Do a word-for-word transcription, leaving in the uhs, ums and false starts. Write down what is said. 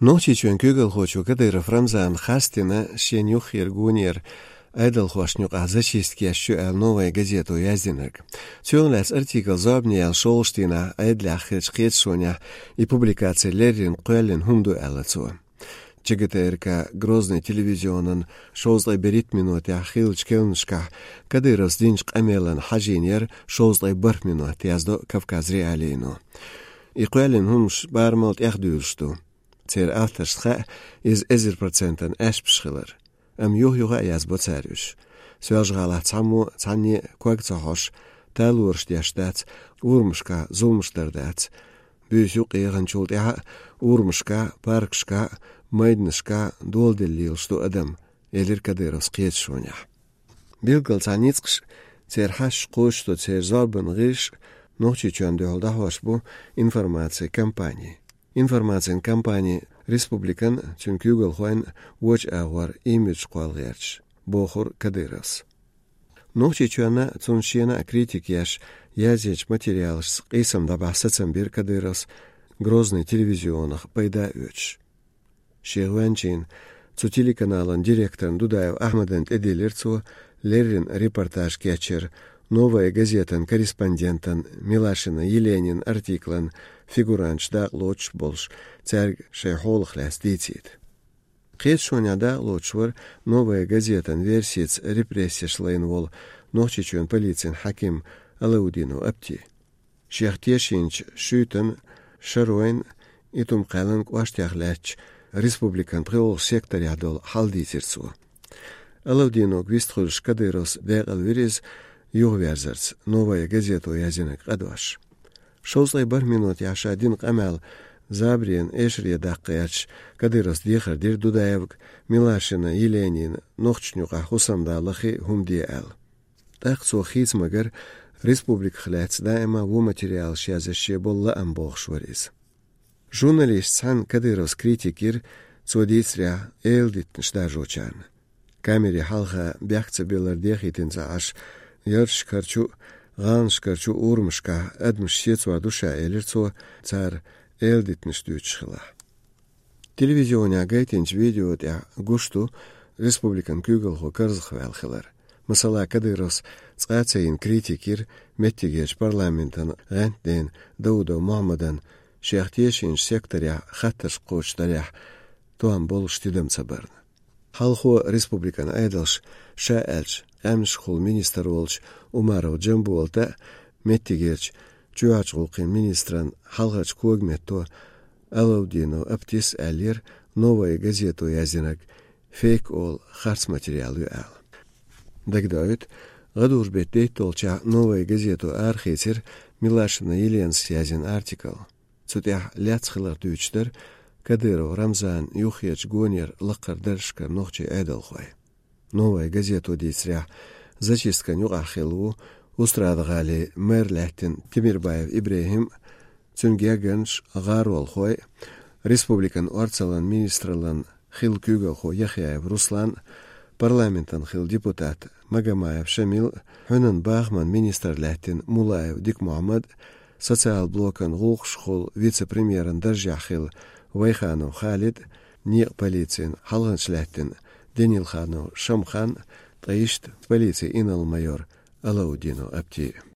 Нохчийчоьнан куьйгалхочо Кадыров Рамзана хастина шен юххера гонера Ӏедалхошна юкъахь зачистка еш ю аьлла «Новая газето» яздинарг. Цунах лаьцна артикл зорбане яьлла шолгӀачу дийнахь Ӏедалехь хиллачу кхеташонехь и публикаци леррина кхоьллина хӀума ду аьлла цо. ЧГТРК Грозный телевизионан шовзткъе берхӀитта минотехь хиллачу керланашкахь Кадыровс динчу къамелана хьажийна яра шовзткъе бархӀ минот, яздо Кавказ.Реалиино. И кхоьллина хӀуманаш барамал тӀехдуьйлуш ду. Церан авторшна хаьа иза эзар процентана аьшпаш хилар. Амма юх-юха а язбо цара уьш. Соьлжа-ГӀалахь цхьаммо цхьанне а ког ца хьожуш, талораш деш дац, урамашкахь зуламаш дар дац. Буьйса юкъа еханчул тӀаьхьа а урамашкахь, паркашкахь, майданашкахь доладелла лелаш ду адам, элира Кадыровс кхеташонехь. Билггал цхьа ницкъаш, церан хьашташ кхочушдо, церан зорбанан гӀирсаш Нохчийчоьнна дуьхьал дӀахьош бу информацин кампани. Информацин кампани республикан а, цуьнан куьйгалхойн а вочу агӀор имидж кхолла гӀерташ, бохура Кадыровс. Нохчийчоьнна а, цунна шена а критика еш, язйинчу материалашца къийсам дӀабахьа сацам бира Кадыровс Грозный телевизионах пайда а оьцуш. Шен гӀоьнчийн, цу телеканалан директоран Дудаев Ахьмадан тӀедиллира цо леррина репортаж кечъяр, «Новая газетан» корреспондентан Милашина Еленин артиклан фигуранташ дакъа лоцуш болуш, цаьрга шайн хьолах лаьцна дийцийта. Кхеташонехь дакъа лоцуш вара «Новая газетан» версица репрессеш лайна волу Нохчийчоьнан полицин хьаькам Алаудинов Апти. Шех тешийначу Шуьйтан, Шаройн, Итум-Кхаьллан кӀоштех лаьттачу республикан пхоьалгӀачу секторехь долу хьал дийцира цо. Алаудиновга вистхуьлуш Кадыровс декъалвира иза юхаверзарца, «Новая газето» яздинарг къа дош. Шовзткъе бархӀ минотехь ша дина къамел забаран эшаре даккха гӀерташ, Кадыровс дехар дира Дудаевга, Милашина Еленина нохчашна юкъахь хӀусамда лахе а хӀума де аьлла. ТӀаккха цо хийца магар, республиках лаьцна даима а вон материалаш язъеш шен болу лаам бохуш вара иза. Журналисташ цхьаьна Кадыровс критика йира, цо дийцарехь, эладитанаш даржочарна. Камери хьалха бехк ца биллар дехийтина ца Ӏаш, ярташкарчу а, гӀаланашкарчу а урамашкахь адамаш сецор ду ша, элира цо, цара эладитанаш дуьйцуш хилахь. Телевизионехь гайтинчу видео тӀехь гуш ду республикан куьйгалхо карзахваьлла хилар. Масала, Кадыровс цкъа а ца йина критика йира меттигерчу парламентан гӀентанийн Даудов Мохьмадан, шех тешийначу секторехь хаттарш кхочушдарехь, тоам болуш тидам ца барна. Хьалхо республикан Ӏедалша ша аьллачу къаьмнашкахула министр волчу Умаров Джамболата а, меттигерчу чоьхьарчу гӀуллакхийн министран хьалхарчу когаметто Алаудинов Аптис а аьллера, «Новая газето» яздинарг фейк олу харц материал ю аьлла. Дагадоуьйту, гӀадужу беттан дейтталгӀачохь «Новая газето» арахийцира Милашина Еленас язйина артикл. Цу тӀехь лаьцна хилар дуьйцуш дара Кадыров Рамзанан юххерчу гонера лакхара даржашкара нохчийн Ӏедалхой. «Новая газето» дийцарехь, зачисткан юкъахь хилла ву Устрада-ГӀалин мэр лаьттина Темирбаев ИбрахӀим, цуьнан гергарнаш, гӀаролхой, республикан орцаллин министраллин хилла куьйгалхо Яхъяев Руслан, парламентан хилла депутат Магомаев Шамил, хьуьнан бахаман министр лаьттина Муллаев Дика-Мохьмад, социал блокан гӀуллакхашкахула вице-премьеран даржехь хилла Вайханов Халид, некъан полицин хьалханча лаьттина Денилханов Шамхан, ткъа иштта полицин инарла-майор Алаудинов Апти.